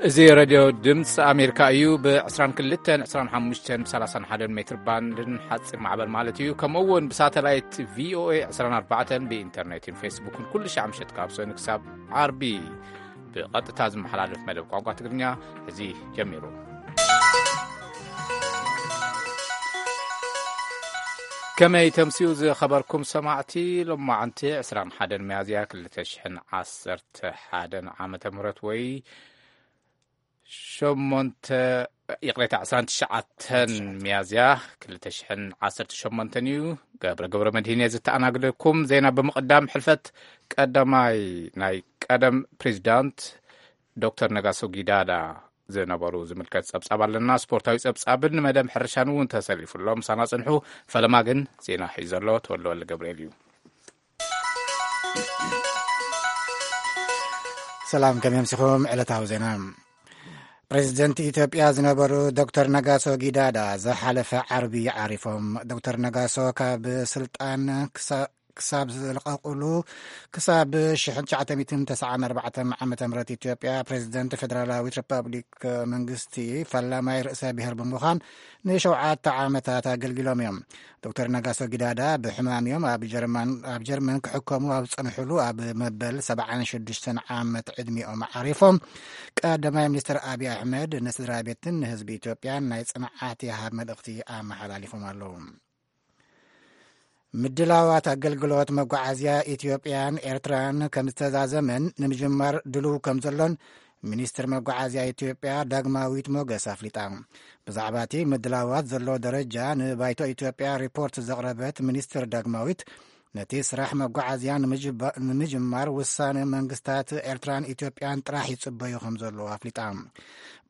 እዚ ሬድዮ ድምፂ ኣሜሪካ እዩ። ብ22፣ 25፣ ብ31 ሜትር ባንድን ሓፂር ማዕበል ማለት እዩ። ከምኡ እውን ብሳተላይት ቪኦኤ 24 ብኢንተርኔትን ፌስቡክን ኩሉ ሻዕ ምሸት ካብ ሰኑ ክሳብ ዓርቢ ብቐጥታ ዝመሓላለፍ መደብ ቋንቋ ትግርኛ እዚ ጀሚሩ። ከመይ ተምስዩ ዝኸበርኩም ሰማዕቲ? ሎማዓንቲ 21 ሚያዝያ 2011 ዓመተ ምህረት ወይ ሸሞንተ፣ ይቕሬታ፣ 29 ሚያዝያ 2018 እዩ። ገብረ ገብረ መድህን እየ ዝተኣናግደኩም። ዜና ብምቕዳም ሕልፈት ቀዳማይ ናይ ቀደም ፕሬዚዳንት ዶክተር ነጋሶ ጊዳዳ ዝነበሩ ዝምልከት ጸብጻብ ኣለና። ስፖርታዊ ጸብጻብን መደብ ሕርሻን እውን ተሰሊፉ ኣሎ። ምሳና ጽንሑ። ፈለማ ግን ዜና ሒዙ ዘሎ ተወልደ ወልደ ገብርኤል እዩ። ሰላም፣ ከመይ ኣምሲኹም? ዕለታዊ ዜና። ፕሬዚደንት ኢትዮጵያ ዝነበሩ ዶክተር ነጋሶ ጊዳዳ ዝሓለፈ ዓርቢ ዓሪፎም። ዶክተር ነጋሶ ካብ ስልጣን ክሳ-፣ ክሳብ ዝለቐቑሉ፣ ክሳብ 1994 ዓመተ ምህረት ኢትዮጵያ ፕሬዚደንት ፌደራላዊት ሪፐብሊክ መንግስቲ ፈላማይ ርእሰ ብሔር ብምዃን ንሸውዓተ ዓመታት ኣገልጊሎም እዮም። ዶክተር ነጋሶ ጊዳዳ ብሕማም እዮም ኣብ ጀርመን፣ ኣብ ጀርመን ክሕከሙ ኣብ ዝጸንሕሉ ኣብ መበል 76 ዓመት ዕድሚኦም ዓሪፎም። ቀዳማይ ሚኒስትር ኣብይ ኣሕመድ ንስድራ ቤትን ንህዝቢ ኢትዮጵያን ናይ ጽንዓት ይሃብ መልእኽቲ ኣመሓላሊፎም ኣለዉ። ምድላዋት ኣገልግሎት መጓዓዝያ ኢትዮጵያን ኤርትራን ከም ዝተዛዘመን ንምጅማር ድሉው ከም ዘሎን ሚኒስትር መጓዓዝያ ኢትዮጵያ ዳግማዊት ሞገስ ኣፍሊጣ። ብዛዕባ እቲ ምድላዋት ዘሎ ደረጃ ንባይቶ ኢትዮጵያ ሪፖርት ዘቕረበት ሚኒስትር ዳግማዊት፣ ነቲ ስራሕ መጓዓዝያ ንምጅባ-፣ ንምጅማር ውሳነ መንግስታት ኤርትራን ኢትዮጵያን ጥራሕ ይጽበዩ ከም ዘለዉ ኣፍሊጣ።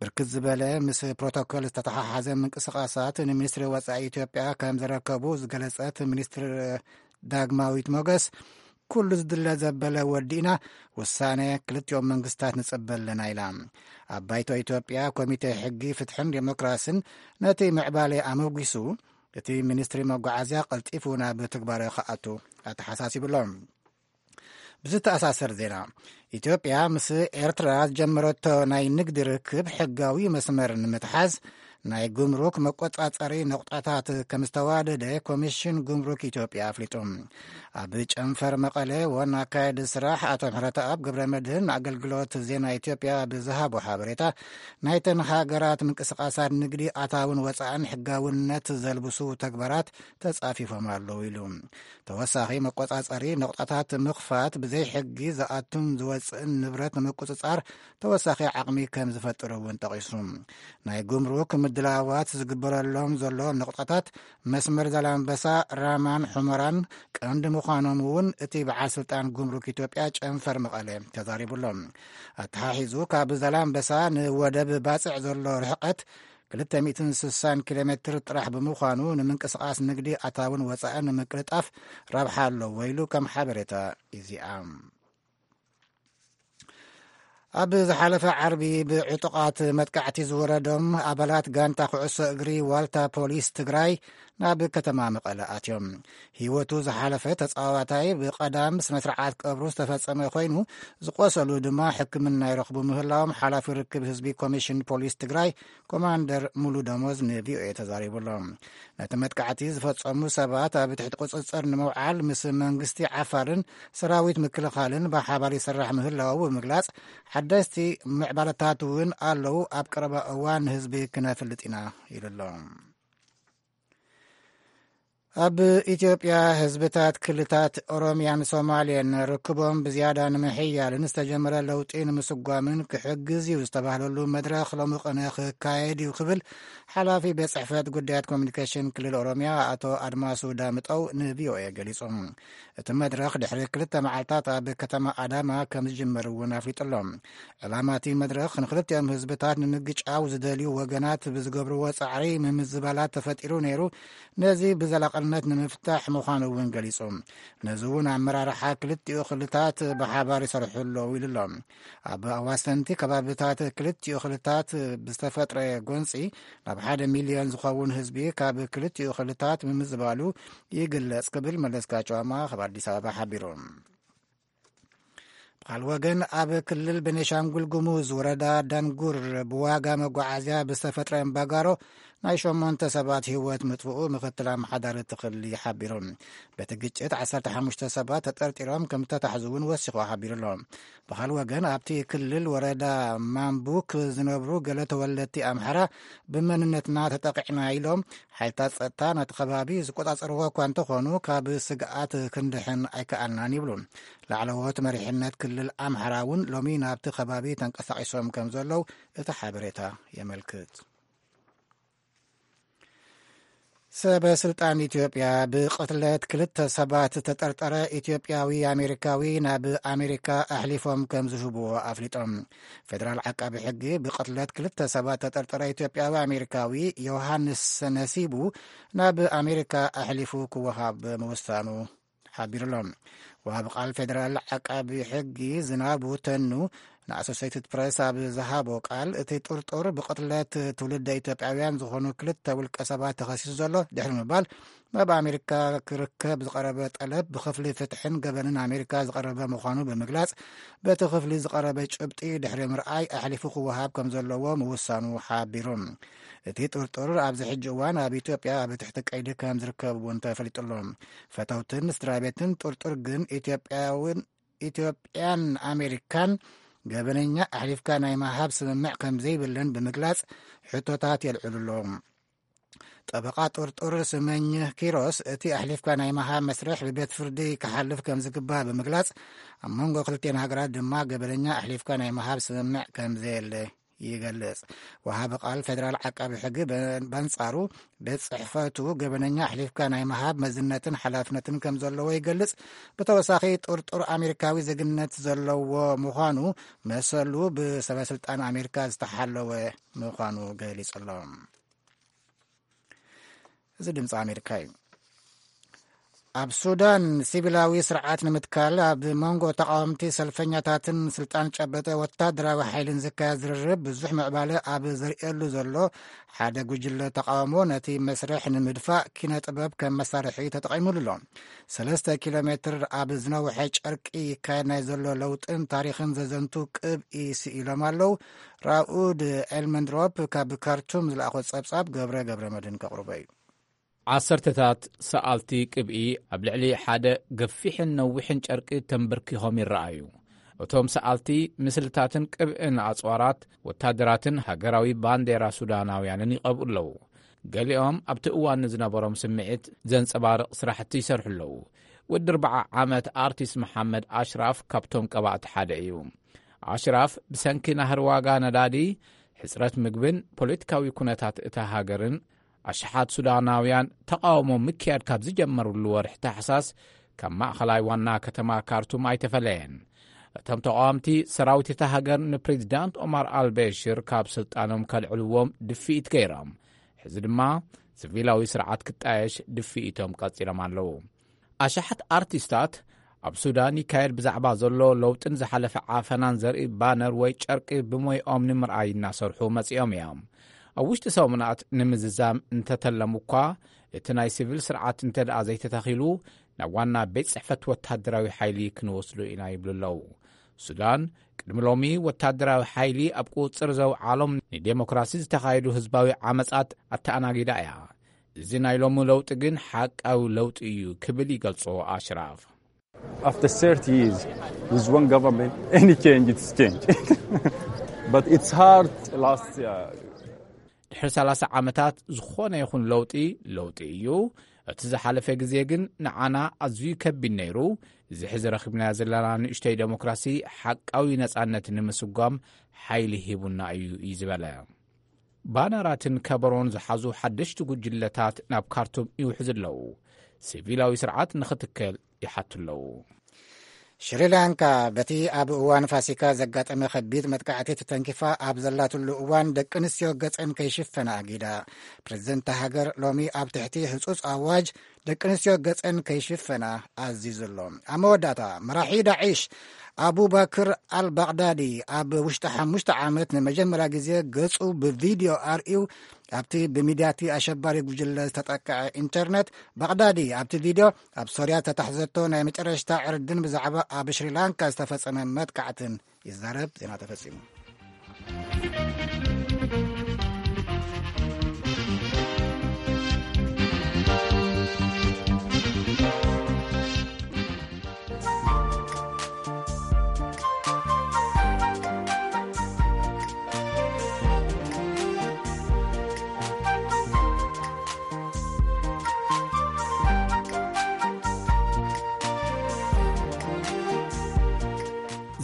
ብርክት ዝበለ ምስ ፕሮቶኮል ዝተተሓሓዘ ምንቅስቓሳት ንሚኒስትሪ ወጻኢ ኢትዮጵያ ከም ዘረከቡ ዝገለጸት ሚኒስትር ዳግማዊት ሞገስ፣ ኩሉ ዝድለ ዘበለ ወዲእና፣ ውሳነ ክልቲኦም መንግስታት ንጽበ ኣለና ኢላ። ኣብ ባይቶ ኢትዮጵያ ኮሚቴ ሕጊ፣ ፍትሕን ዴሞክራስን ነቲ ምዕባለ ኣመጒሱ፣ እቲ ሚኒስትሪ መጓዓዝያ ቀልጢፉ ናብ ትግባረ ክኣቱ ኣተሓሳሲቡ ኣሎ። ብዝተኣሳሰር ዜና፣ ኢትዮጵያ ምስ ኤርትራ ዝጀመረቶ ናይ ንግዲ ርክብ ሕጋዊ መስመር ንምትሓዝ ናይ ጉምሩክ መቆጻጸሪ ነቑጣታት ከም ዝተዋደደ ኮሚሽን ጉምሩክ ኢትዮጵያ ኣፍሊጡ። ኣብ ጨንፈር መቐለ ዋና ኣካየዲ ስራሕ ኣቶ ምሕረተኣብ ገብረ መድህን ኣገልግሎት ዜና ኢትዮጵያ ብዝሃቦ ሓበሬታ፣ ናይተን ሃገራት ምንቅስቓሳት ንግዲ ኣታውን ወጻእን ሕጋውነት ዘልብሱ ተግባራት ተጻፊፎም ኣለዉ ኢሉ። ተወሳኺ መቆጻጸሪ ነቑጣታት ምኽፋት ብዘይ ሕጊ ዝኣቱን ዝወጽእን ንብረት ንምቁጽጻር ተወሳኺ ዓቕሚ ከም ዝፈጥር እውን ጠቒሱ። ናይ ጉምሩክ ምድላዋት ዝግበረሎም ዘሎ ነቑጣታት መስመር ዛላምበሳ፣ ራማን ሑመራን ቀንዲ ምዃኖም እውን እቲ በዓል ስልጣን ጉምሩክ ኢትዮጵያ ጨንፈር መቐለ ተዛሪቡ ኣሎ። ኣተሓሒዙ ካብ ዛላምበሳ ንወደብ ባጽዕ ዘሎ ርሕቀት 260 ኪሎ ሜትር ጥራሕ ብምዃኑ፣ ንምንቅስቓስ ንግዲ ኣታውን ወጻእን ንምቅልጣፍ ረብሓ ኣለዎ ኢሉ ከም ሓበሬታ ኢዜኣ። ኣብ ዝሓለፈ ዓርቢ ብዕጡቓት መጥቃዕቲ ዝወረዶም ኣባላት ጋንታ ኩዕሶ እግሪ ዋልታ ፖሊስ ትግራይ ናብ ከተማ መቐለ ኣትዮም። ህይወቱ ዝሓለፈ ተጻዋታይ ብቐዳም ስነ ስርዓት ቀብሩ ዝተፈጸመ ኮይኑ፣ ዝቆሰሉ ድማ ሕክምና ይረኽቡ ምህላዎም ሓላፊ ርክብ ህዝቢ ኮሚሽን ፖሊስ ትግራይ ኮማንደር ሙሉ ደሞዝ ንቪኦኤ ተዛሪቡ ኣሎ። ነቲ መጥቃዕቲ ዝፈጸሙ ሰባት ኣብ ትሕቲ ቁጽጽር ንምውዓል ምስ መንግስቲ ዓፋርን ሰራዊት ምክልኻልን ብሓባር ይስራሕ ምህላዉ ብምግላጽ፣ ሓደስቲ ምዕባለታት እውን ኣለዉ፣ ኣብ ቀረባ እዋን ንህዝቢ ክነፍልጥ ኢና ኢሉ ኣሎ። ኣብ ኢትዮጵያ ህዝብታት ክልላት ኦሮሚያን ሶማልያን ርክቦም ብዝያዳ ንምሕያልን ዝተጀመረ ለውጢ ንምስጓምን ክሕግዝ እዩ ዝተባህለሉ መድረኽ ሎሚ ቅነ ክካየድ እዩ ክብል ሓላፊ ቤት ጽሕፈት ጉዳያት ኮሚኒኬሽን ክልል ኦሮሚያ ኣቶ ኣድማሱ ዳምጠው ንቪኦኤ ገሊጹ። እቲ መድረኽ ድሕሪ ክልተ መዓልታት ኣብ ከተማ ኣዳማ ከም ዝጅመር እውን ኣፍሊጡ ኣሎ። ዕላማ እቲ መድረኽ ንክልቲኦም ህዝብታት ንምግጫው ዝደልዩ ወገናት ብዝገብርዎ ጻዕሪ ምምዝባላት ተፈጢሩ ነይሩ፣ ነዚ ብዘላቕነት ንምፍታሕ ምዃኑ እውን ገሊጹ። ነዚ እውን ኣመራርሓ ክልቲኡ ክልታት ብሓባር ይሰርሑ ኣለዉ ኢሉ ኣሎ። ኣብ ኣዋሰንቲ ከባብታት ክልቲኡ ክልታት ብዝተፈጥረ ጎንጺ ናብ ሓደ ሚልዮን ዝኸውን ህዝቢ ካብ ክልቲኡ ክልታት ምምዝባሉ ይግለጽ ክብል መለስካቸው ኣማ ካብ ኣዲስ ኣበባ ሓቢሩ። ካልእ ወገን፣ ኣብ ክልል ቤኒሻንጉል ጉሙዝ ወረዳ ዳንጉር ብዋጋ መጓዓዝያ ብዝተፈጥረ እምባጋሮ ናይ ሸሞንተ ሰባት ህይወት ምጥፍኡ ምክትል ኣመሓዳሪ እቲ ክልል ሓቢሩ። በቲ ግጭት ዓሰርተ ሓሙሽተ ሰባት ተጠርጢሮም ከም ዝተታሕዙ እውን ወሲኹ ሓቢሩ ኣሎ። ብኻልእ ወገን፣ ኣብቲ ክልል ወረዳ ማምቡክ ዝነብሩ ገለ ተወለድቲ ኣምሓራ፣ ብመንነትና ተጠቂዕና ኢሎም፣ ሓይልታት ጸጥታ ናቲ ከባቢ ዝቆጻጸርዎ እኳ እንተኾኑ፣ ካብ ስግኣት ክንድሕን ኣይከኣልናን ይብሉ። ላዕለዎት መሪሕነት ክልል ኣምሓራ እውን ሎሚ ናብቲ ከባቢ ተንቀሳቒሶም ከም ዘለዉ እቲ ሓበሬታ የመልክት። ሰበ ስልጣን ኢትዮጵያ ብቕትለት ክልተ ሰባት ዝተጠርጠረ ኢትዮጵያዊ ኣሜሪካዊ ናብ ኣሜሪካ ኣሕሊፎም ከም ዝህብዎ ኣፍሊጦም። ፌደራል ዓቃቢ ሕጊ ብቕትለት ክልተ ሰባት ተጠርጠረ ኢትዮጵያዊ ኣሜሪካዊ ዮሃንስ ነሲቡ ናብ ኣሜሪካ ኣሕሊፉ ክወሃብ ምውሳኑ ሓቢሩ ኣሎ። ወሃቢ ቃል ፌደራል ዓቃቢ ሕጊ ዝናቡ ተኑ ንኣሶሴይትድ ፕሬስ ኣብ ዝሃቦ ቃል፣ እቲ ጥርጡር ብቕትለት ትውልደ ኢትዮጵያውያን ዝኾኑ ክልተ ውልቀ ሰባት ተኸሲሱ ዘሎ ድሕሪ ምባል፣ ናብ ኣሜሪካ ክርከብ ዝቐረበ ጠለብ ብክፍሊ ፍትሕን ገበንን ኣሜሪካ ዝቐረበ ምዃኑ ብምግላጽ፣ በቲ ክፍሊ ዝቐረበ ጭብጢ ድሕሪ ምርኣይ ኣሕሊፉ ክወሃብ ከም ዘለዎ ምውሳኑ ሓቢሩ። እቲ ጥርጡር ኣብዚ ሕጂ እዋን ኣብ ኢትዮጵያ ኣብ ትሕቲ ቀይዲ ከም ዝርከብ እውን ተፈሊጡ ኣሎ። ፈተውትን ስድራ ቤትን ጥርጡር ግን ኢትዮጵያውን ኢትዮጵያን ኣሜሪካን ገበነኛ ኣሕሊፍካ ናይ ምሃብ ስምምዕ ከም ዘይብለን ብምግላጽ ሕቶታት የልዕሉ ኣለዉ። ጠበቓ ጥርጡር ስመኝ ኪሮስ፣ እቲ ኣሕሊፍካ ናይ ምሃብ መስርሕ ብቤት ፍርዲ ክሓልፍ ከም ዝግባእ ብምግላጽ፣ ኣብ መንጎ ክልቲኤን ሃገራት ድማ ገበነኛ ኣሕሊፍካ ናይ ምሃብ ስምምዕ ከም ዘየለ ይገልጽ። ወሃቢ ቃል ፌደራል ዓቃቢ ሕጊ በ-፣ በንጻሩ፣ ቤት ጽሕፈቱ ገበነኛ ኣሕሊፍካ ናይ ምሃብ መዝነትን ሓላፍነትን ከም ዘለዎ ይገልጽ። ብተወሳኺ፣ ጥርጡር ኣሜሪካዊ ዜግነት ዘለዎ ምዃኑ መሰሉ ብሰበ ስልጣን ኣሜሪካ ዝተሓለወ ምዃኑ ገሊጹ ኣሎ። እዚ ድምፂ ኣሜሪካ እዩ። ኣብ ሱዳን ሲቪላዊ ስርዓት ንምትካል ኣብ መንጎ ተቃወምቲ ሰልፈኛታትን ስልጣን ጨበጠ ወታደራዊ ሓይልን ዝካየድ ዝርርብ ብዙሕ ምዕባለ ኣብ ዘርእየሉ ዘሎ ሓደ ጉጅለ ተቃውሞ፣ ነቲ መስርሕ ንምድፋእ ኪነ ጥበብ ከም መሳርሒ ተጠቒሙሉ ኣሎ። ሰለስተ ኪሎ ሜትር ኣብ ዝነውሐ ጨርቂ ይካየድ ናይ ዘሎ ለውጥን ታሪኽን ዘዘንቱ ቅብኢ ስኢሎም ኣለዉ። ራኡድ ኤልመንድሮፕ ካብ ካርቱም ዝለኣኾ ጸብጻብ ገብረ ገብረ መድህን ከቕርቦ እዩ። ዓሰርተታት ሰኣልቲ ቅብኢ ኣብ ልዕሊ ሓደ ገፊሕን ነዊሕን ጨርቂ ተንበርኪኾም ይረኣዩ። እቶም ሰኣልቲ ምስልታትን ቅብእን ኣጽዋራት ወታደራትን ሃገራዊ ባንዴራ ሱዳናውያንን ይቐብኡ ኣለዉ። ገሊኦም ኣብቲ እዋን ንዝነበሮም ስምዒት ዘንጸባርቕ ስራሕቲ ይሰርሑ ኣለዉ። ወዲ ኣርብዓ ዓመት ኣርቲስት መሓመድ ኣሽራፍ ካብቶም ቀባእቲ ሓደ እዩ። ኣሽራፍ ብሰንኪ ናህሪ ዋጋ ነዳዲ፣ ሕጽረት ምግብን ፖለቲካዊ ኩነታት እታ ሃገርን ኣሽሓት ሱዳናውያን ተቓውሞ ምክያድ ካብ ዝጀመሩሉ ወርሒ ታሕሳስ ካብ ማእኸላይ ዋና ከተማ ካርቱም ኣይተፈለየን። እቶም ተቓወምቲ ሰራዊት እታ ሃገር ንፕሬዚዳንት ኦማር ኣልበሽር ካብ ስልጣኖም ከልዕልዎም ድፍኢት ገይሮም። ሕዚ ድማ ሲቪላዊ ስርዓት ክጣየሽ ድፍኢቶም ቀጺሎም ኣለዉ። ኣሽሓት ኣርቲስታት ኣብ ሱዳን ይካየድ ብዛዕባ ዘሎ ለውጥን ዝሓለፈ ዓፈናን ዘርኢ ባነር ወይ ጨርቂ ብሞይኦም ንምርኣይ እናሰርሑ መጺኦም እዮም። ኣብ ውሽጢ ሰሙናት ንምዝዛም እንተተለሙ እኳ፣ እቲ ናይ ሲቪል ስርዓት እንተ ደኣ ዘይተተኺሉ፣ ናብ ዋና ቤት ጽሕፈት ወታደራዊ ሓይሊ ክንወስዶ ኢና ይብሉ ኣለዉ። ሱዳን ቅድሚ ሎሚ ወታደራዊ ሓይሊ ኣብ ቁጽጽር ዘውዓሎም ንዴሞክራሲ ዝተኻየዱ ህዝባዊ ዓመጻት ኣተኣናጊዳ እያ። እዚ ናይ ሎሚ ለውጢ ግን ሓቃዊ ለውጢ እዩ ክብል ይገልጾ ኣሽራፍ። After thirty years with one government, any change, it's change. But it's hard last, uh, ድሕሪ ሰላሳ ዓመታት ዝኾነ ይኹን ለውጢ፣ ለውጢ እዩ። እቲ ዝሓለፈ ግዜ ግን ንዓና ኣዝዩ ከቢድ ነይሩ። እዚ ሕዚ ረኺብናዮ ዘለና ንእሽተይ ዴሞክራሲ ሓቃዊ ነጻነት ንምስጓም ሓይሊ ሂቡና እዩ፣ እዩ ዝበለ። ባነራትን ከበሮን ዝሓዙ ሓደሽቲ ጉጅለታት ናብ ካርቱም ይውሕዙ ኣለዉ። ሲቪላዊ ስርዓት ንኽትከል ይሓቱ ኣለዉ። ሽሪላንካ በቲ ኣብ እዋን ፋሲካ ዘጋጠመ ከቢድ መጥቃዕቲ ተተንኪፋ ኣብ ዘላትሉ እዋን፣ ደቂ ኣንስትዮ ገጸን ከይሽፈና ኣጊዳ። ፕሬዚደንት ሃገር ሎሚ ኣብ ትሕቲ ህጹጽ ኣዋጅ ደቂ ኣንስትዮ ገጸን ከይሽፈና ኣዚዙ ኣሎ። ኣብ መወዳእታ፣ መራሒ ዳዒሽ ኣቡበክር ኣልባግዳዲ ኣብ ውሽጢ ሓሙሽተ ዓመት ንመጀመርያ ግዜ ገጹ ብቪድዮ ኣርእዩ። ኣብቲ ብሚድያቲ ኣሸባሪ ጉጅለ ዝተጠቅዐ ኢንተርነት፣ ባግዳዲ ኣብቲ ቪድዮ ኣብ ሶርያ ዝተታሕዘቶ ናይ መጨረሽታ ዕርድን ብዛዕባ ኣብ ሽሪላንካ ዝተፈጸመ መጥቃዕትን ይዛረብ። ዜና ተፈጺሙ።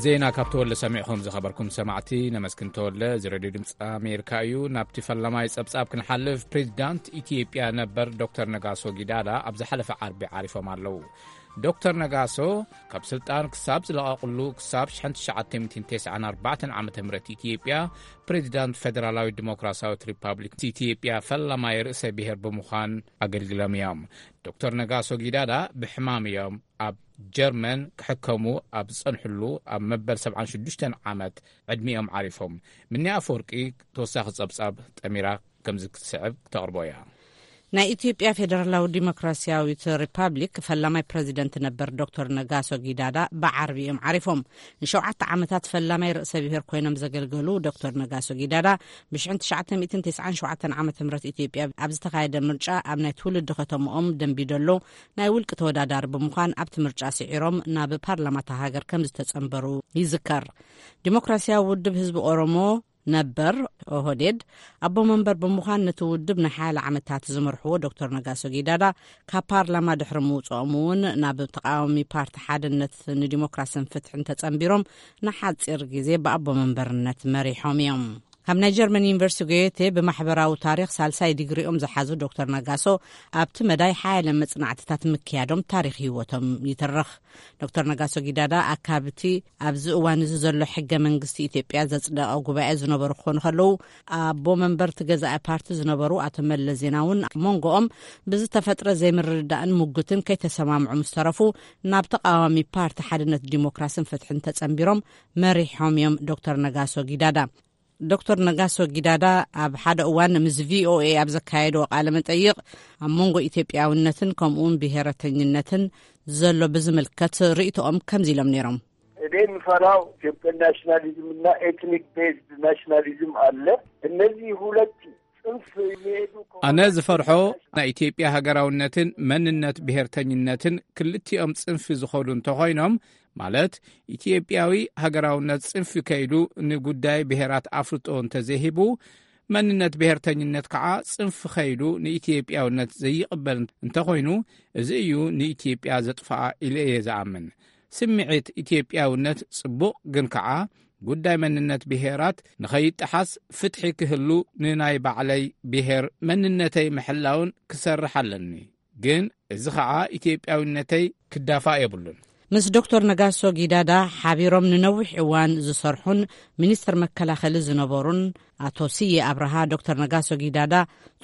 ዜና ካብ ተወልደ ሰሚዕኹም ዝኸበርኩም ሰማዕቲ ነመስግን። ተወልደ፣ እዚ ሬድዮ ድምፂ ኣሜሪካ እዩ። ናብቲ ፈላማይ ጸብጻብ ክንሓልፍ፣ ፕሬዚዳንት ኢትዮጵያ ነበር ዶክተር ነጋሶ ጊዳዳ ኣብ ዝሓለፈ ዓርቢ ዓሪፎም ኣለዉ። ዶክተር ነጋሶ ካብ ስልጣን ክሳብ ዝለቐቕሉ ክሳብ ሽሕን ትሽዓተ ሚእትን ተስዓን ኣርባዕተን ዓመተ ምህረት ኢትዮጵያ ፕሬዚዳንት ፌደራላዊት ዲሞክራሲያዊት ሪፓብሊክ ኢትዮጵያ ፈላማይ ርእሰ ብሔር ብምዃን ኣገልግሎም እዮም። ዶክተር ነጋሶ ጊዳዳ ብሕማም እዮም ኣብ ጀርመን ክሕከሙ ኣብ ዝጸንሕሉ ኣብ መበል ሰብዓን ሽዱሽተን ዓመት ዕድሚኦም ዓሪፎም። ምንያ ኣፈወርቂ ተወሳኺ ጸብጻብ ጠሚራ ከምዚ ክትስዕብ ክተቕርቦ እያ። ናይ ኢትዮጵያ ፌደራላዊ ዲሞክራሲያዊት ሪፓብሊክ ፈላማይ ፕረዚደንት ነበር ዶክተር ነጋሶ ጊዳዳ ብዓርቢ እዮም ዓሪፎም። ንሸውዓተ ዓመታት ፈላማይ ርእሰ ብሔር ኮይኖም ዘገልገሉ ዶክተር ነጋሶ ጊዳዳ ብሽሕን ትሽዓተ ሚእትን ተስዓን ሸውዓተን ዓመተ ምህረት ኢትዮጵያ ኣብ ዝተኻየደ ምርጫ ኣብ ናይ ትውልዲ ከተምኦም ደንቢዶሎ ናይ ውልቂ ተወዳዳሪ ብምዃን ኣብቲ ምርጫ ስዒሮም ናብ ፓርላማ እታ ሃገር ከም ዝተጸንበሩ ይዝከር። ዲሞክራሲያዊ ውድብ ህዝቢ ኦሮሞ ነበር ኦህዴድ ኣቦ መንበር ብምዃን ነቲ ውድብ ንሓያለ ዓመታት ዝመርሕዎ ዶክተር ነጋሶ ጊዳዳ ካብ ፓርላማ ድሕሪ ምውፅኦም እውን ናብ ተቃዋሚ ፓርቲ ሓድነት ንዲሞክራስን ፍትሕን ተጸንቢሮም ንሓፂር ግዜ ብኣቦ መንበርነት መሪሖም እዮም። ካብ ናይ ጀርመን ዩኒቨርሲቲ ጎየቴ ብማሕበራዊ ታሪኽ ሳልሳይ ዲግሪኦም ዝሓዙ ዶክተር ነጋሶ ኣብቲ መዳይ ሓያለ መጽናዕትታት ምክያዶም ታሪኽ ህይወቶም ይትርኽ። ዶክተር ነጋሶ ጊዳዳ ኣካብቲ ኣብዚ እዋን እዚ ዘሎ ሕገ መንግስቲ ኢትዮጵያ ዘጽደቐ ጉባኤ ዝነበሩ ክኾኑ ከለዉ፣ ኣቦ መንበርቲ ገዛኢ ፓርቲ ዝነበሩ ኣቶ መለስ ዜናውን ኣብ መንጎኦም ብዝተፈጥረ ዘይምርድዳእን ሙግትን ከይተሰማምዑ ምስ ተረፉ፣ ናብ ተቃዋሚ ፓርቲ ሓድነት ዲሞክራስን ፍትሕን ተጸንቢሮም መሪሖም እዮም ዶክተር ነጋሶ ጊዳዳ። ዶክተር ነጋሶ ጊዳዳ ኣብ ሓደ እዋን ምስ ቪ ኦ ኤ ኣብ ዘካየድዎ ቃለ መጠይቕ፣ ኣብ መንጎ ኢትዮጵያውነትን ከምኡውን ብሄረተኝነትን ዘሎ ብዝምልከት ርእይቶኦም ከምዚ ኢሎም ነይሮም። እኔ የምፈራው ኢትዮጵያን ናሽናሊዝም እና ኤትኒክ ቤዝድ ናሽናሊዝም አለ። እነዚህ ሁለት ጽንፍ የሚሄዱ ከሆነ፣ ኣነ ዝፈርሖ ናይ ኢትዮጵያ ሃገራውነትን መንነት ብሄርተኝነትን ክልቲኦም ጽንፊ ዝኾዱ እንተኾይኖም፣ ማለት ኢትዮጵያዊ ሃገራውነት ጽንፊ ከይዱ ንጉዳይ ብሄራት ኣፍልጦ እንተዘይሂቡ፣ መንነት ብሄርተኝነት ከዓ ጽንፊ ከይዱ ንኢትዮጵያውነት ዘይቕበል እንተኾይኑ፣ እዚ እዩ ንኢትዮጵያ ዘጥፍኣ ኢለ እየ ዝኣምን። ስምዒት ኢትዮጵያውነት ጽቡቕ፣ ግን ከዓ ጉዳይ መንነት ብሄራት ንኸይጠሓስ ፍትሒ ክህሉ ንናይ ባዕለይ ብሄር መንነተይ ምሕላውን ክሰርሕ ኣለኒ። ግን እዚ ኸዓ ኢትዮጵያዊነተይ ክዳፋእ የብሉን። ምስ ዶክተር ነጋሶ ጊዳዳ ሓቢሮም ንነዊሕ እዋን ዝሰርሑን ሚኒስትር መከላኸሊ ዝነበሩን ኣቶ ስዬ ኣብርሃ፣ ዶክተር ነጋሶ ጊዳዳ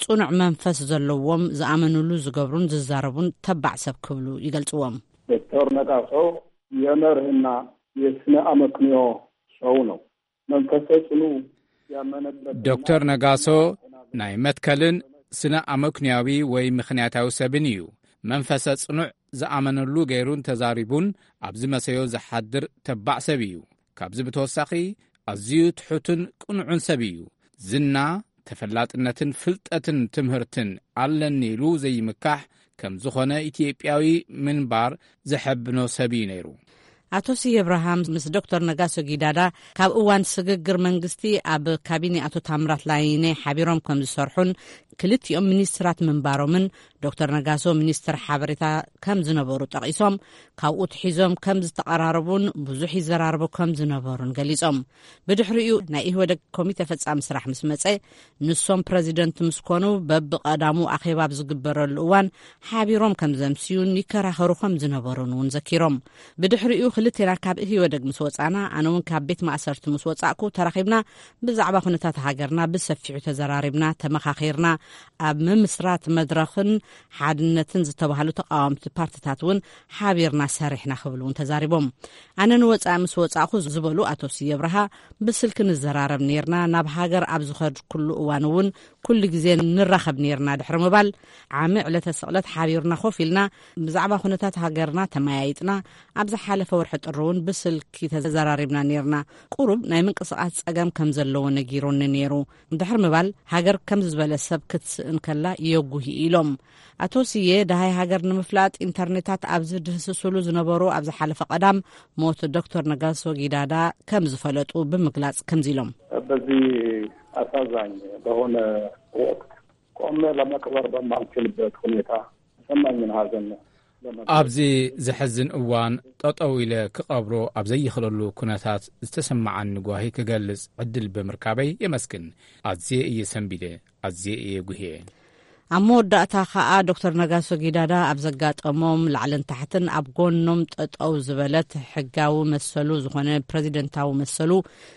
ጽኑዕ መንፈስ ዘለዎም፣ ዝኣመኑሉ ዝገብሩን ዝዛረቡን ተባዕ ሰብ ክብሉ ይገልጽዎም። ዶክተር ነጋሶ የመርህና የስነ ኣመክንዮ ሰው ነው። መንፈሰ ጽኑ ያመነበት ዶክተር ነጋሶ ናይ መትከልን ስነ ኣመክንያዊ ወይ ምኽንያታዊ ሰብን እዩ። መንፈሰ ጽኑዕ ዝኣመነሉ ገይሩን ተዛሪቡን ኣብዚ መሰዮ ዝሓድር ተባዕ ሰብ እዩ። ካብዚ ብተወሳኺ ኣዝዩ ትሑትን ቅኑዕን ሰብ እዩ። ዝና፣ ተፈላጥነትን ፍልጠትን ትምህርትን ኣለኒ ኢሉ ዘይምካሕ ከም ዝኾነ ኢትዮጵያዊ ምንባር ዘሐብኖ ሰብ እዩ ነይሩ። ኣቶ ስየ እብርሃም ምስ ዶክተር ነጋሶ ጊዳዳ ካብ እዋን ስግግር መንግስቲ ኣብ ካቢኔ ኣቶ ታምራት ላይኔ ሓቢሮም ከም ዝሰርሑን ክልቲኦም ሚኒስትራት ምንባሮምን፣ ዶክተር ነጋሶ ሚኒስትር ሓበሬታ ከም ዝነበሩ ጠቒሶም፣ ካብኡ ትሒዞም ከም ዝተቐራረቡን ብዙሕ ይዘራረቡ ከም ዝነበሩን ገሊጾም። ብድሕሪኡ ናይ ኢህወደግ ኮሚቴ ፈጻሚ ስራሕ ምስ መጸ፣ ንሶም ፕረዚደንት ምስ ኮኑ፣ በብቐዳሙ ኣኼባ ኣብ ዝግበረሉ እዋን ሓቢሮም ከም ዘምስዩን ይከራኸሩ ከም ዝነበሩን እውን ዘኪሮም። ብድሕሪኡ ክልቴና ካብ ህወደግ ምስ ወጻና፣ ኣነ እውን ካብ ቤት ማእሰርቲ ምስ ወጻእኩ፣ ተራኺብና ብዛዕባ ኩነታት ሃገርና ብሰፊሑ ተዘራሪብና፣ ተመኻኺርና። ኣብ ምምስራት መድረኽን ሓድነትን ዝተባህሉ ተቃወምቲ ፓርቲታት እውን ሓቢርና ሰሪሕና ክብሉ እውን ተዛሪቦም። ኣነ ንወጻኢ ምስ ወጻእኩ ዝበሉ ኣቶ ስየ ብርሃ፣ ብስልኪ ንዘራረብ ነይርና፣ ናብ ሃገር ኣብ ዝኸድኩሉ እዋን እውን ኩሉ ግዜ ንራኸብ ነይርና ድሕሪ ምባል፣ ዓሚ ዕለተ ስቕለት ሓቢርና ኮፍ ኢልና ብዛዕባ ኩነታት ሃገርና ተመያይጥና፣ ኣብ ዝሓለፈ ወርሒ ጥሪ እውን ብስልኪ ተዘራሪብና ነይርና። ቁሩብ ናይ ምንቅስቓስ ጸገም ከም ዘለዎ ነጊሩኒ ነይሩ ድሕሪ ምባል፣ ሃገር ከምዚ ዝበለ ሰብ ክትስእን ከላ የጉሂ ኢሎም። ኣቶ ስየ፣ ደሃይ ሃገር ንምፍላጥ ኢንተርኔታት ኣብ ዝድህስስሉ ዝነበሩ ኣብ ዝሓለፈ ቀዳም፣ ሞት ዶክተር ነጋሶ ጊዳዳ ከም ዝፈለጡ ብምግላጽ ከምዚ ኢሎም። በዚህ አሳዛኝ በሆነ ወቅት ቆሜ ለመቅበር በማልችልበት ሁኔታ ተሰማኝን ሐዘን ለመግለጽ። ኣብዚ ዘሕዝን እዋን ጠጠው ኢለ ክቐብሮ ኣብ ዘይኽለሉ ኩነታት ዝተሰማዓኒ ጓሂ ክገልጽ ዕድል ብምርካበይ የመስግን። ኣዝየ እየ ሰንቢደ፣ ኣዝየ እየ ጉህየ። ኣብ መወዳእታ ከኣ ዶክተር ነጋሶ ጊዳዳ ኣብ ዘጋጠሞም ላዕልን ታሕትን ኣብ ጎኖም ጠጠው ዝበለት፣ ሕጋዊ መሰሉ ዝኾነ ፕረዚደንታዊ መሰሉ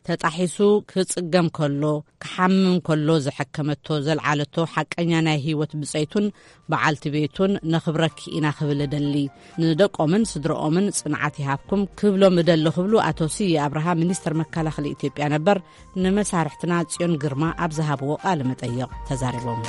ተጣሒሱ ክጽገም ከሎ፣ ክሓምም ከሎ ዘሐከመቶ፣ ዘልዓለቶ ሓቀኛ ናይ ህይወት ብጸይቱን በዓልቲ ቤቱን ነኽብረኪ ኢና ክብል እደሊ። ንደቆምን ስድረኦምን ጽንዓት ይሃብኩም ክብሎም እደሊ ክብሉ ኣቶ ስየ ኣብርሃ ሚኒስተር መከላኸሊ ኢትዮጵያ ነበር ንመሳርሕትና ጽዮን ግርማ ኣብ ዝሃብዎ ቃለ መጠይቕ ተዛሪቦም።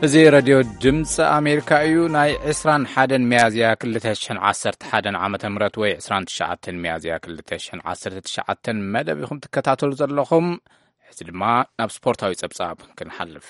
እዚ ረድዮ ድምፂ ኣሜሪካ እዩ። ናይ ዕስራን ሓደን ሚያዝያ ክልተ ሽሕን ዓሰርተ ሓደን ዓመተ ምህረት ወይ ዕስራን ትሽዓተን ሚያዝያ ክልተ ሽሕን ዓሰርተ ትሽዓተን መደብ ኢኹም ትከታተሉ ዘለኹም። ሕዚ ድማ ናብ ስፖርታዊ ጸብጻብ ክንሓልፍ።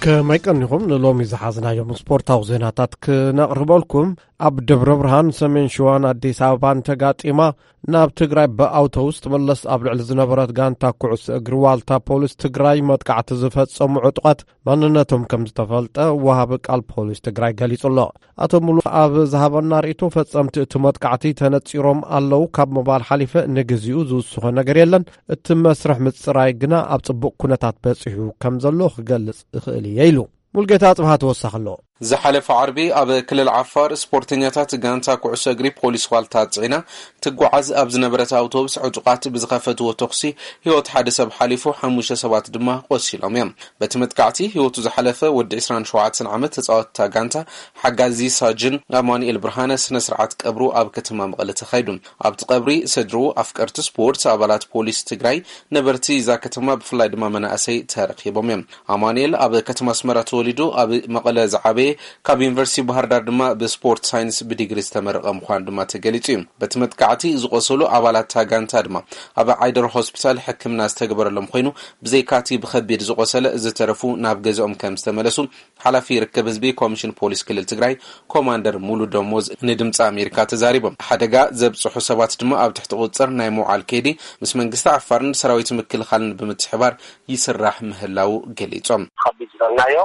ከመይ ቀኒኹም? ንሎሚ ዝሓዝናዮም ስፖርታዊ ዜናታት ክነቕርበልኩም፣ ኣብ ደብረ ብርሃን፣ ሰሜን ሸዋን ኣዲስ ኣበባን ተጋጢማ ናብ ትግራይ ብኣውቶቡስ ትምለስ ኣብ ልዕሊ ዝነበረት ጋንታ ኩዕሶ እግሪ ዋልታ ፖሊስ ትግራይ መጥቃዕቲ ዝፈጸሙ ዕጡቓት ማንነቶም ከም ዝተፈልጠ ወሃቢ ቃል ፖሊስ ትግራይ ገሊጹ ኣሎ። ኣቶ ሙሉ ኣብ ዝሃበና ርእይቶ፣ ፈጸምቲ እቲ መጥቃዕቲ ተነጺሮም ኣለዉ ካብ ምባል ሓሊፈ ንግዚኡ ዝውስኾ ነገር የለን። እቲ መስርሕ ምጽራይ ግና ኣብ ጽቡቕ ኩነታት በጺሑ ከም ዘሎ ክገልጽ እኽእል እየ ኢሉ። ሙልጌታ ጽብሃ ተወሳኺ ኣሎ። ዝሓለፈ ዓርቢ ኣብ ክልል ዓፋር ስፖርተኛታት ጋንታ ኩዕሶ እግሪ ፖሊስ ዋልታ ጽዒና ትጓዓዝ ኣብ ዝነበረት ኣውቶቡስ ዕጡቓት ብዝኸፈትዎ ተኹሲ ህይወት ሓደ ሰብ ሓሊፉ፣ ሓሙሽተ ሰባት ድማ ቆሲሎም እዮም። በቲ መጥቃዕቲ ህይወቱ ዝሓለፈ ወዲ ዕስራን ሸውዓተን ዓመት ተጻወትታ ጋንታ ሓጋዚ ሳጅን ኣማኑኤል ብርሃነ ስነ ስርዓት ቀብሩ ኣብ ከተማ መቐለ ተኻይዱ። ኣብቲ ቀብሪ ስድርኡ፣ ኣፍቀርቲ ስፖርት፣ ኣባላት ፖሊስ ትግራይ፣ ነበርቲ እዛ ከተማ ብፍላይ ድማ መናእሰይ ተረኺቦም እዮም። ኣማኑኤል ኣብ ከተማ ኣስመራ ተወሊዱ ኣብ መቐለ ዝዓበየ፣ ካብ ዩኒቨርሲቲ ባህር ዳር ድማ ብስፖርት ሳይንስ ብዲግሪ ዝተመረቐ ምዃኑ ድማ ተገሊጹ እዩ። በቲ መጥቃዕቲ ዝቆሰሉ ኣባላት እታ ጋንታ ድማ ኣብ ዓይደር ሆስፒታል ሕክምና ዝተገበረሎም ኮይኑ፣ ብዘይካቲ ብኸቢድ ዝቆሰለ ዝተረፉ ናብ ገዝኦም ከም ዝተመለሱ ሓላፊ ርክብ ህዝቢ ኮሚሽን ፖሊስ ክልል ትግራይ ኮማንደር ሙሉ ደሞዝ ንድምፂ ኣሜሪካ ተዛሪቦም። ሓደጋ ዘብፅሑ ሰባት ድማ ኣብ ትሕቲ ቁፅፅር ናይ ምውዓል ከይዲ ምስ መንግስቲ ዓፋርን ሰራዊት ምክልኻልን ብምትሕባር ይስራሕ ምህላው ገሊፆም። ከቢድ ዝበልናዮ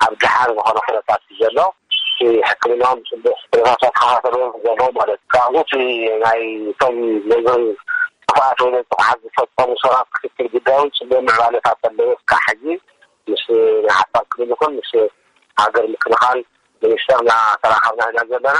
ኣብ ደሓን ዝኾነ ኩነታት እዩ ዘሎ። ሕክምናኦም ብፅቡቅ ኩነታት ተኸታተልዎም ዘሎ ማለት እዩ። ካብዚ እቲ ናይ እቶም ነዞም ጥፋኣት ወይ ነዚ ጥፋኣት ዝፈፀሙ ሰባት ክትትል ጉዳዮም ፅቡቅ ምዕባለታት ኣለዎ። እስካዕ ሕጂ ምስ ናይ ዓፋር ክልል ይኹን ምስ ሃገር ምክልኻል ሚኒስተር እናተራኸብና ኢና ዘለና።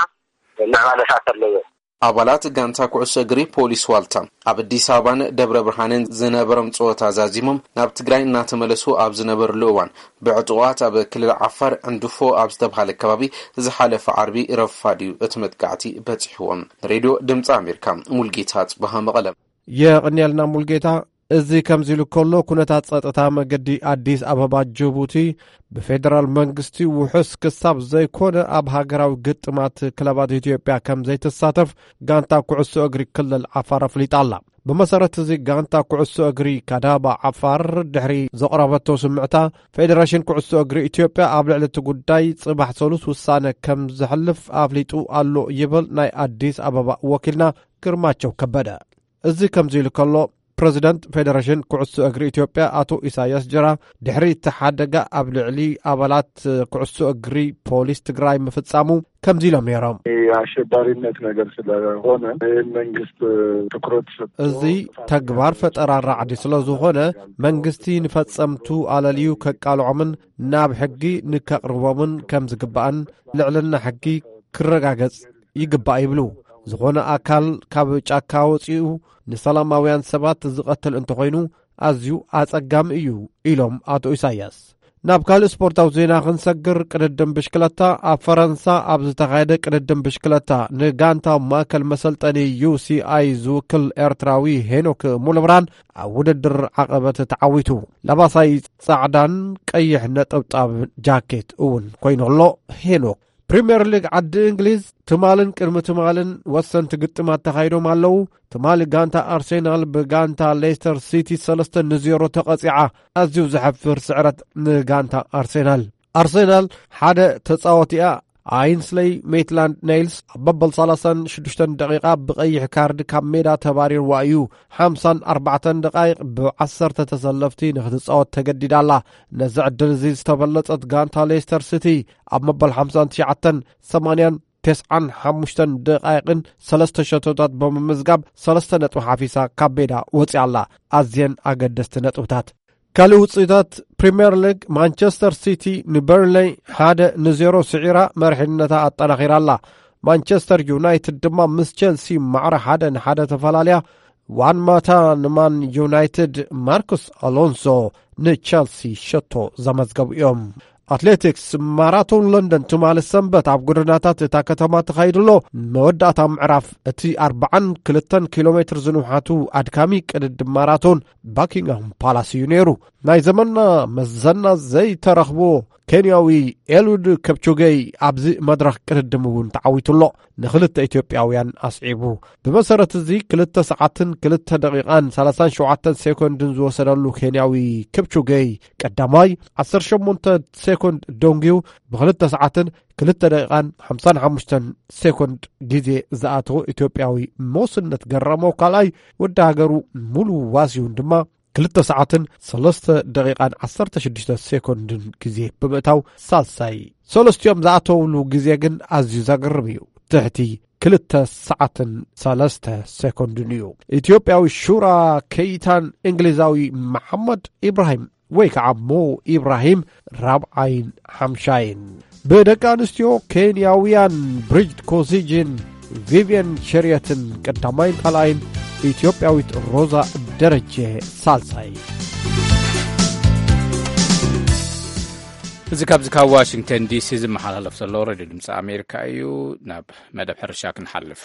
ምዕባለታት ኣለዎ። ኣባላት ጋንታ ኩዕሶ እግሪ ፖሊስ ዋልታ ኣብ ኣዲስ ኣበባን ደብረ ብርሃንን ዝነበሮም ፀወታ ዛዚሞም ናብ ትግራይ እናተመለሱ ኣብ ዝነበርሉ እዋን፣ ብዕጡቓት ኣብ ክልል ዓፋር ዕንድፎ ኣብ ዝተብሃለ ከባቢ ዝሓለፈ ዓርቢ ረፋድ እዩ እቲ መጥቃዕቲ በፂሕዎም። ንሬድዮ ድምፂ ኣሜሪካ፣ ሙልጌታ ጽበሃ፣ መቐለ። የቕንየልና ሙልጌታ። እዚ ከምዚ ኢሉ ከሎ፣ ኩነታት ጸጥታ መገዲ ኣዲስ ኣበባ ጅቡቲ ብፌደራል መንግስቲ ውሑስ ክሳብ ዘይኮነ፣ ኣብ ሃገራዊ ግጥማት ክለባት ኢትዮጵያ ከም ዘይትሳተፍ ጋንታ ኩዕሶ እግሪ ክልል ዓፋር ኣፍሊጣ ኣላ። ብመሰረት እዚ፣ ጋንታ ኩዕሶ እግሪ ካዳባ ዓፋር ድሕሪ ዘቕረበቶ ስምዕታ፣ ፌደሬሽን ኩዕሶ እግሪ ኢትዮጵያ ኣብ ልዕሊ እቲ ጉዳይ ጽባሕ ሰሉስ ውሳነ ከም ዘሕልፍ ኣፍሊጡ ኣሎ ይብል ናይ ኣዲስ ኣበባ ወኪልና ግርማቸው ከበደ። እዚ ከምዚ ኢሉ ከሎ፣ ፕረዚደንት ፌደሬሽን ኩዕሶ እግሪ ኢትዮጵያ ኣቶ ኢሳያስ ጅራ፣ ድሕሪ እቲ ሓደጋ ኣብ ልዕሊ ኣባላት ኩዕሶ እግሪ ፖሊስ ትግራይ ምፍጻሙ ከምዚ ኢሎም ነይሮም። የአሸባሪነት ነገር ስለሆነ ይህን መንግስት ትኩረት ሰጥቶ እዚ ተግባር ፈጠራ ራዕዲ ስለ ዝኾነ፣ መንግስቲ ንፈጸምቱ ኣለልዩ ከቃልዖምን ናብ ሕጊ ንከቕርቦምን ከም ዝግባእን ልዕልና ሕጊ ክረጋገጽ ይግባእ ይብሉ። ዝኾነ ኣካል ካብ ጫካ ወጺኡ ንሰላማውያን ሰባት ዝቐትል እንተኾይኑ ኣዝዩ ኣጸጋሚ እዩ ኢሎም ኣቶ ኢሳያስ። ናብ ካልእ ስፖርታዊ ዜና ክንሰግር፣ ቅድድም ብሽክለታ ኣብ ፈረንሳ ኣብ ዝተኻየደ ቅድድም ብሽክለታ ንጋንታ ማእከል መሰልጠኒ ዩ ሲ ኣይ ዝውክል ኤርትራዊ ሄኖክ ሙሉብርሃን ኣብ ውድድር ዓቐበት ተዓዊቱ። ለባሳይ ጻዕዳን ቀይሕ ነጠብጣብ ጃኬት እውን ኮይኑ ኣሎ። ሄኖክ ፕሪምየር ሊግ ዓዲ እንግሊዝ ትማልን ቅድሚ ትማልን ወሰንቲ ግጥማት ተኻይዶም ኣለዉ። ትማሊ ጋንታ ኣርሴናል ብጋንታ ሌስተር ሲቲ ሰለስተ ንዜሮ ተቐጺዓ። ኣዝዩ ዘሕፍር ስዕረት ንጋንታ ኣርሴናል። ኣርሴናል ሓደ ተጻወቲኣ ኣይንስለይ ሜትላንድ ኔይልስ ኣብ መበል ሰላሳን ሽዱሽተን ደቂቓ ብቐይሕ ካርድ ካብ ሜዳ ተባሪርዋ እዩ። ሓምሳን ኣርባዕተን ደቃይቕ ብዓሰርተ ተሰለፍቲ ንክትጻወት ተገዲዳ ኣላ። ነዚ ዕድል እዚ ዝተበለጸት ጋንታ ሌስተር ሲቲ ኣብ መበል ሓምሳን ትሽዓተን ሰማንያን ተስዓን ሓሙሽተን ደቃይቕን ሰለስተ ሸቶታት ብምምዝጋብ ሰለስተ ነጥቢ ሓፊሳ ካብ ሜዳ ወጺኣ ኣላ። ኣዝየን ኣገደስቲ ነጥብታት። ካልእ ውጽኢታት ፕሪምየር ሊግ፣ ማንቸስተር ሲቲ ንበርንለይ ሓደ ንዜሮ ስዒራ መርሒነታ ኣጠናኺራ ኣላ። ማንቸስተር ዩናይትድ ድማ ምስ ቸልሲ ማዕረ ሓደ ንሓደ ተፈላለያ። ዋን ማታ ንማን ዩናይትድ፣ ማርኩስ ኣሎንሶ ንቸልሲ ሸቶ ዘመዝገቡ እዮም። ኣትሌቲክስ፣ ማራቶን ለንደን ትማሊ ሰንበት ኣብ ጎደናታት እታ ከተማ ተኻይዱ ኣሎ። መወዳእታ ምዕራፍ እቲ ኣርባዓን ክልተን ኪሎ ሜትር ዝንውሓቱ ኣድካሚ ቅድድም ማራቶን ባኪንግሃም ፓላስ እዩ ነይሩ። ናይ ዘመንና መዘና ዘይተረኽቦ ኬንያዊ ኤሉድ ከፕቾገይ ኣብዚ መድረኽ ቅድድም እውን ተዓዊቱ ኣሎ። ንኽልተ ኢትዮጵያውያን ኣስዒቡ። ብመሰረት እዚ ክልተ ሰዓትን ክልተ ደቂቓን ሰላሳን ሸውዓተን ሴኮንድን ዝወሰደሉ ኬንያዊ ከፕቾገይ ቀዳማይ፣ ዓሰርተ ሸሞንተ ሴኮንድ ደንጉዩ ብኽልተ ሰዓትን ክልተ ደቂቓን ሓምሳን ሓሙሽተን ሴኮንድ ግዜ ዝኣተወ ኢትዮጵያዊ ሞስነት ገረመው ካልኣይ፣ ወዲ ሃገሩ ሙሉ ዋሲሁን ድማ ክልተ ሰዓትን ሰለስተ ደቂቓን ዓሰርተ ሽዱሽተ ሴኮንድን ግዜ ብምእታው ሳልሳይ። ሰለስቲኦም ዝኣተውሉ ግዜ ግን ኣዝዩ ዘገርም እዩ። ትሕቲ ክልተ ሰዓትን ሰለስተ ሴኮንድን እዩ። ኢትዮጵያዊ ሹራ ከይታን እንግሊዛዊ መሓመድ ኢብራሂም ወይ ከዓ ሞ ኢብራሂም ራብዓይን ሓምሻይን። ብደቂ ኣንስትዮ ኬንያውያን ብሪጅት ኮሲጅን ቪቪየን ሸርየትን ቀዳማይን ካልኣይን፣ ኢትዮጵያዊት ሮዛ ደረጀ ሳልሳይ። እዚ ካብዚ ካብ ዋሽንግተን ዲሲ ዝመሓላለፍ ዘሎ ሬድዮ ድምፂ ኣሜሪካ እዩ። ናብ መደብ ሕርሻ ክንሓልፍ።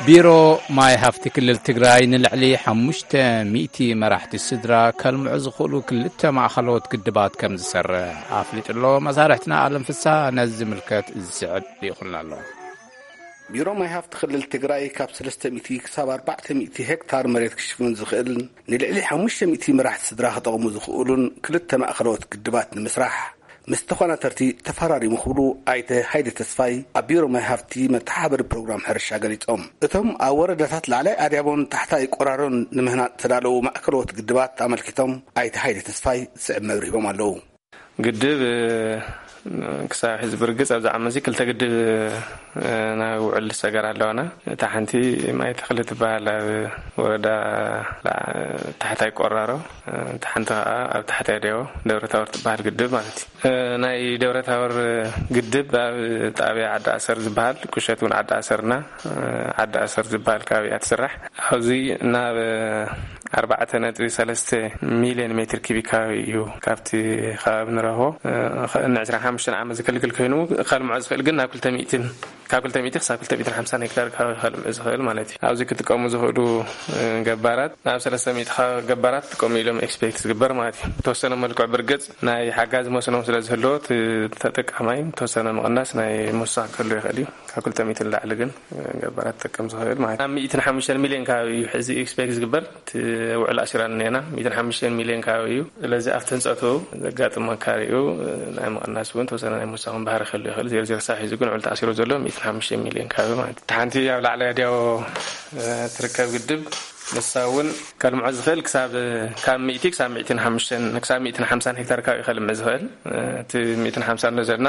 ቢሮ ማይ ሃፍቲ ክልል ትግራይ ንልዕሊ ሓሙሽተ ሚእቲ መራሕቲ ስድራ ከልምዑ ዝኽእሉ ክልተ ማእኸሎት ግድባት ከም ዝሰርሕ ኣፍሊጡ ኣሎ። መሳርሕትና ኣለም ፍሳ ነዚ ዝምልከት ዝስዕብ ልኢኹልና ኣሎ። ቢሮ ማይ ሃፍቲ ክልል ትግራይ ካብ ሰለስተ ሚእቲ ክሳብ ኣርባዕተ ሚእቲ ሄክታር መሬት ክሽፍን ዝኽእል ንልዕሊ ሓሙሽተ ሚእቲ መራሕቲ ስድራ ክጠቕሙ ዝኽእሉን ክልተ ማእኸሎት ግድባት ንምስራሕ ምስ ተኾናተርቲ ተፈራሪሙ ክብሉ ኣይተ ሃይለ ተስፋይ ኣብ ቢሮ ማይ ሃፍቲ መተሓባበሪ ፕሮግራም ሕርሻ ገሊጾም። እቶም ኣብ ወረዳታት ላዕላይ ኣድያቦን ታሕታይ ቆራሮን ንምህናጽ ዝተዳለዉ ማእከሎት ግድባት ኣመልኪቶም ኣይተ ሃይለ ተስፋይ ዝስዕብ መብርሂቦም ኣለዉ። ግድብ ክሳብ ሕዚ ብርግጽ ኣብዚ ዓመት እዚ ክልተ ግድብ ናይ ውዕል ሰገር ኣለዋና። እታ ሓንቲ ማይ ተኽሊ ትበሃል ኣብ ወረዳ ላ- ታሕታይ ቆራሮ፣ እታ ሓንቲ ከዓ ኣብ ታሕታይ ደዮ ደብረ ታወር ትበሃል ግድብ ማለት እዩ። ናይ ደብረ ታወር ግድብ ኣብ ጣብያ ዓዲ ኣሰር ዝበሃል፣ ቁሸት እውን ዓዲ ኣሰርና፣ ዓዲ ኣሰር ዝበሃል ከባቢ እያ ትስራሕ። ኣብዚ ናብ ኣርባዕተ ነጥቢ ሰለስተ ሚልዮን ሜትር ኪቢክ ከባቢ እዩ ካብቲ ከባቢ ንረኽቦ። እ፣ ኸ- ን ዕስራን ሓሙሽተን ዓመት ዘገልግል ኮይኑ ከልምዖ ዝኽእል ግን ናብ ክልተ ሚእትን ካብ ክልተ ሚእቲ ክሳብ ክልተ ሚእትን ሓምሳን ሄክታር ከባቢ ከልምዕ ዝኽእል ማለት እዩ። ኣብዚ ክጥቀሙ ዝኽእሉ፣ እ፣ ገባራት ናብ ሰለስተ ሚእቲ ገባራት ክጥቀሙ ኢሎም ኤክስፔክት ዝግበር ማለት እዩ። ብተወሰነ መልክዑ ብርግጽ ናይ ሓጋዚ መስኖ ስለ ዝህልዎ፣ እቲ ተጠቃማይ ተወሰነ ምቕናስ ናይ ምውሳኽ ክህሉ ይኽእል እዩ። ካብ ክልተ ሚእቲ ንላዕሊ ግን ገባራት ክጥቀም ዝኽእል ማለት እዩ። ኣብ ሚእትን ሓሙሽተን ሚልዮን ከባቢ እዩ ሕዚ ኤክስፔክት ዝግበር። እቲ ውዕል ኣሲራን እኒአና ሚእትን ሓሙሽተን ሚልዮን ከባቢ እዩ። ስለዚ ኣብቲ ህንፀቱ ዘጋጥም መካሪኡ ናይ ምቕናስ እውን ተወሰነ ናይ ምውሳኽን ባህሪ ክህሉ ይኽእል። ዜሮ ዜሮ ሳብ ሒዚ ግን ውዕል ተኣሲሩ ዘሎ ሚእትን ሓሙሽተን ሚልዮን ከባቢ ማለት እዩ። እቲ ሓንቲ ኣብ ላዕላይ ኣድያቦ፣ እ፣ ትርከብ ግድብ ንሳ እውን ከልምዖ ዝኽእል ክሳብ፣ ካብ ሚእቲ ክሳብ ሚእትን ሓሙሽተን፣ ክሳብ ሚእትን ሓምሳን ሄክታር ከባቢ ከልምዕ ዝኽእል። እ፣ እቲ ሚእትን ሓምሳን ንሪኦ ዘለና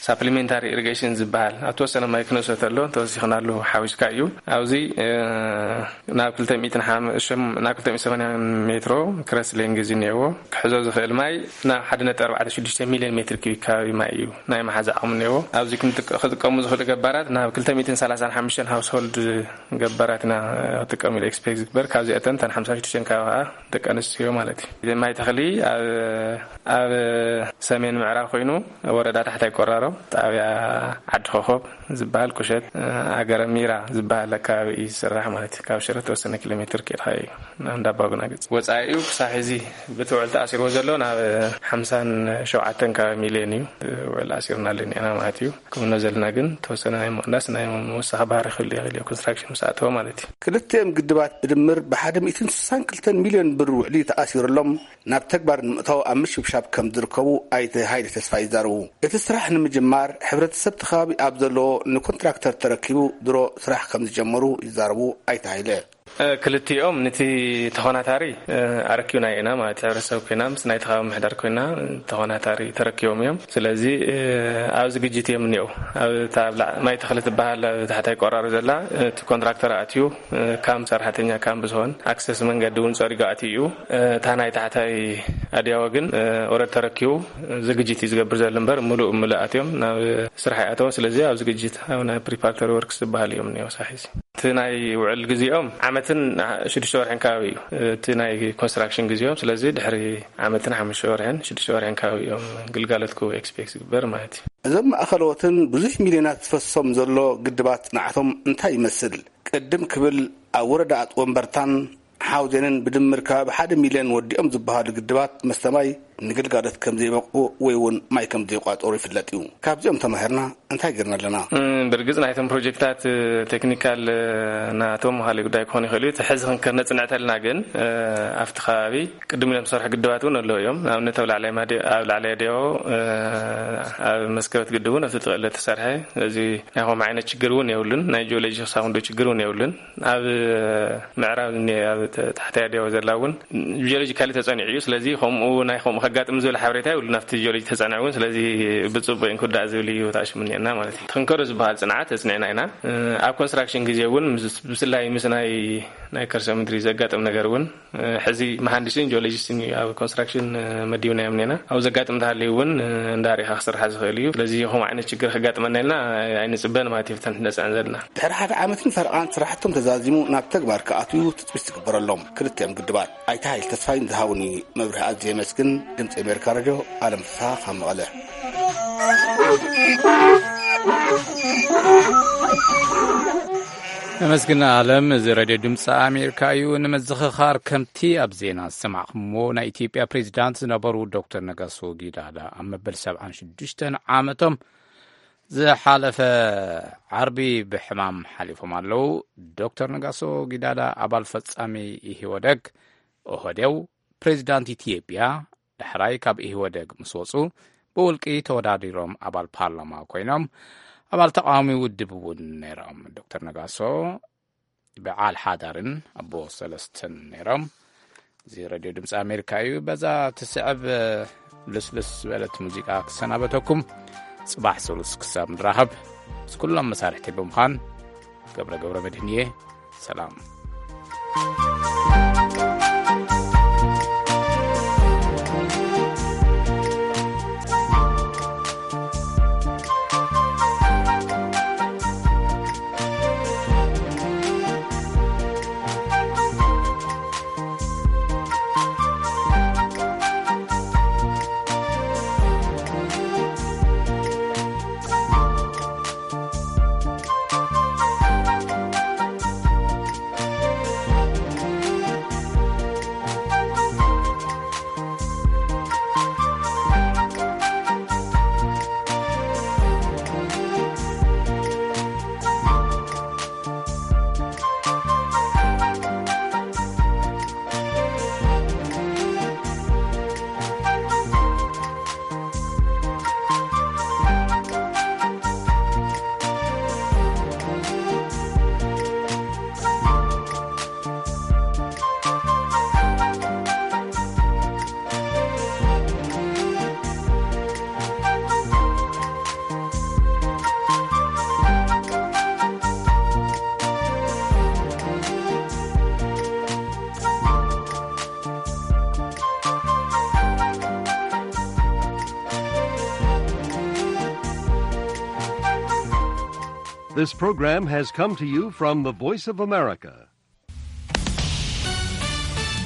ብሳፕሊሜንታሪ ኢሪጌሽን ዝበሃል ኣብ ተወሰነ ማይ ክነእሶ ተሎ ተወሲኽናሉ ሓዊስካ እዩ። ኣብዚ፣ እ፣ ናብ ክልተ ሚእትን ሓም-፣ ሽም-፣ ናብ ክልተ ሚእትን ሰማንያን ሜትሮ ክረስ ሌንግዝ እኒአዎ። ክሕዞ ዝኽእል ማይ ናብ ሓደ ነጥቢ ኣርባዕተ ሽዱሽተ ሚልዮን ሜትር ኪዩቢክ ከባቢ ማይ እዩ ናይ መሓዛ ዓቕሚ እኒአዎ። ኣብዚ ክንጥቀ-፣ ክጥቀሙ ዝኽእሉ ገባራት ናብ ክልተ ሚእትን ሰላሳን ሓሙሽተን ሃውስሆልድ ገባራት ኢና ክጥቀሙ ኢሉ ኤክስፔክት ዝግበር። ካብዚኣተን እተን ሓምሳን ሽዱሽተን ከባቢ ከዓ ደቂ ኣንስትዮ ማለት እዩ። ማይ ተኽሊ ኣብ፣ ኣብ ሰሜን ምዕራብ ኮይኑ ወረዳ ታሕታይ ቆራሮ ጣብያ ዓዲ ኮኾብ ዝበሃል ቁሸት፣ ኣገረ ሚራ ዝበሃል ኣከባቢ እዩ ዝስራሕ ማለት እዩ። ካብ ሽረ ተወሰነ ኪሎ ሜትር ከይድካ እዩ ናብ እንዳባጉና ገጽ። ወጻኢኡ ክሳብ ሕዚ ብቲ ውዕል ተኣሲርዎ ዘሎ ናብ ሓምሳን ሸውዓተን ከባቢ ሚልዮን እዩ። ውዕል ኣሲርና ኣለና ማለት እዩ። ክምኖ ዘለና ግን ተወሰነ ናይ ምቕናስ ናይ ምውሳኽ ባህሪ ክህሉ ይኽእል እዩ፣ ኮንስትራክሽን ምስ ኣተወ ማለት እዩ። ክልቲኦም ግድባት ብድምር ብሓደ ሚእትን ስሳን ክልተን ሚልዮን ብር ውዕሊ ተኣሲሩሎም ናብ ተግባር ንምእታው ኣብ ምሽብሻብ ከም ዝርከቡ ኣይተ ሃይለ ተስፋ ይዛረቡ። እቲ ስራሕ ንምጅማር ሕብረተሰብ እቲ ከባቢ ኣብ ዘለዎ ንኮንትራክተር ተረኪቡ ድሮ ስራሕ ከም ዝጀመሩ ይዛረቡ ኣይተ ሃይለ። እ፣ ክልቲኦም ነቲ ተኾናታሪ፣ እ፣ ኣረኪብና ኢና ማለት ሕብረተሰብ ኮይና ምስ ናይቲ ከባቢ ምሕዳር ኮይና ተኾናታሪ ተረኪቦም እዮም። ስለዚ፣ እ፣ ኣብ ዝግጅት እዮም እኒአው። ኣብ እታ ኣብ ላ-፣ ማይ ተኽሊ ትበሃል ኣብ ታሕታይ ቆራሮ ዘላ፣ እ፣ እቲ ኮንትራክተር ኣትዩ፣ እ፣ ካምፕ ሰራሕተኛ ካምፕ ዝኾን ኣክሰስ መንገዲ እውን ጸሪጉ ኣትዩ እዩ። እ፣ እታ ናይ ታሕታይ ኣድያቦ ግን፣ እ፣ ኦረድ ተረኪቡ ዝግጅት እዩ ዝገብር ዘሎ እምበር፣ ምሉእ ምሉእ ኣትዮም ናብ ስራሕ ይኣተው። ስለዚ ኣብ ዝግጅት ኣብ ናይ ፕሪፓራቶሪ ወርክስ ዝበሃል እዮም እኒአው ሳሒዚ። እቲ ናይ ውዕል ግዜኦም ዓመትን ሽዱሽተ ወርሕን ከባቢ እዩ፣ እቲ ናይ ኮንስትራክሽን ግዜኦም። ስለዚ ድሕሪ ዓመትን ሓሙሽተ ወርሕን ሽዱሽተ ወርሕን ከባቢ እዮም ግልጋሎት ክህቡ ኤክስፔክት ዝግበር ማለት እዩ። እዞም ማእኸለዎትን ብዙሕ ሚልዮናት ዝፈሶም ዘሎ ግድባት ጽንዓቶም እንታይ ይመስል? ቅድም ክብል ኣብ ወረዳኣት ወንበርታን ሓውዜንን ብድምር ከባቢ ሓደ ሚልዮን ወዲኦም ዝበሃሉ ግድባት መስተ ማይ ንግልጋሎት ከም ዘይበቕዑ ወይ እውን ማይ ከም ዘይቋጸሩ ይፍለጥ እዩ። ካብዚኦም ተማሂርና እንታይ ገይርና ኣለና? እም፣ ብርግጽ ናይቶም ፕሮጀክታት፣ እ፣ ቴክኒካል፣ እ፣ ናቶም ካልእ ጉዳይ ክኾን ይኽእል እዩ። እቲ ሕዚ ክንከ-፣ ነጽንዕ ተልና ግን፣ እ፣ ኣብቲ ከባቢ ቅድም ኢሎም ዝሰርሑ ግድባት እውን ኣለዉ እዮም። ንኣብነት ኣብ ላዕላይ ማዲ-፣ ኣብ ላዕላይ ኣድያቦ፣ እ፣ ኣብ መስከበት ግድብ እውን ኣብቲ ጥቕሊ ተሰርሐ። ስለዚ ናይ ከምኡ ዓይነት ችግር እውን የብሉን። ናይ ጂኦሎጂ ክሳብ ክንዱ ችግር እውን የብሉን። ኣብ ምዕራብ እኒ-፣ ኣብ ተ-፣ ታሕታይ ኣድያቦ ዘላ እውን ጂኦሎጂካሊ ተጸኒዑ እዩ። ስለዚ ከምኡ ናይ ከምኡ ከጋጥም ዝብል ሓበሬታ የብሉን ኣብቲ ጂኦሎጂ ተጸንዐ እውን። ስለዚ ብጽቡቕ እንክወዳእ ዝብል እዩ ተኣሽሙ እኒአና ማለት እዩ። ክንከዶ ዝበሃል ጽንዓት ተጽኒዕና ኢና። እ፣ ኣብ ኮንስትራክሽን ግዜ እውን ምስ-፣ ብፍላይ ምስ ናይ፣ ናይ ከርሰ ምድሪ ዘጋጥም ነገር እውን፣ እ፣ ሕዚ መሃንዲስን ጂኦሎጂስትን እዩ ኣብ ኮንስትራክሽን፣ እ፣ መዲብናዮም እኒአና። ኣብ ዘጋጥም እንተሃልዩ እውን፣ እ፣ እንዳርኢኻ ክስርሓ ዝኽእል እዩ። ስለዚ ከምኡ ዓይነት ችግር ከጋጥመና ኢልና ኣይንጽበን ማለት እዩ። ብተን ነጽዕን ዘለና ድሕሪ ሓደ ዓመትን ፈረቓን ስራሕቶም ተዛዚሙ ናብ ተግባር ክኣትዉ ትጽቢት ዝግበረሎም ክልቲኦም ግድባት ኣይተ ሃይል ተስፋይ ንዝሃቡኒ መብርሂ ኣዝየ የመስግን። ድምፂ ኣሜሪካ ሬድዮ፣ ኣለም ፍስሃ ካብ መቐለ። ነመስግን ኣለም። እዚ ሬድዮ ድምፂ ኣሜሪካ እዩ። ንምዝኽኻር፣ ከምቲ ኣብ ዜና ዝሰማዕኹምዎ፣ ናይ ኢትዮጵያ ፕሬዚዳንት ዝነበሩ ዶክተር ነጋሶ ጊዳዳ ኣብ መበል ሰብዓን ሽዱሽተን ዓመቶም ዝሓለፈ ዓርቢ ብሕማም ሓሊፎም ኣለዉ። ዶክተር ነጋሶ ጊዳዳ ኣባል ፈጻሚ ኢህወደግ፣ ኦህዴው፣ ፕሬዚዳንት ኢትዮጵያ፣ ዳሕራይ ካብ ኢህወደግ ምስ ወጹ ብውልቂ ተወዳዲሮም ኣባል ፓርላማ ኮይኖም ኣባል ተቃዋሚ ውድብ እውን ነይሮም። ዶክተር ነጋሶ በዓል ሓዳርን ኣቦ ሰለስተን ነይሮም። እዚ ሬድዮ ድምፂ ኣሜሪካ እዩ። በዛ ትስዕብ ልስልስ ዝበለት ሙዚቃ ክሰናበተኩም። ጽባሕ ስሉስ ክሳብ ንራኸብ፣ ምስ ኩሎም መሳርሕቲ ብምዃን ገብረ ገብረ መድህን እየ። ሰላም። This program has come to you from the Voice of America,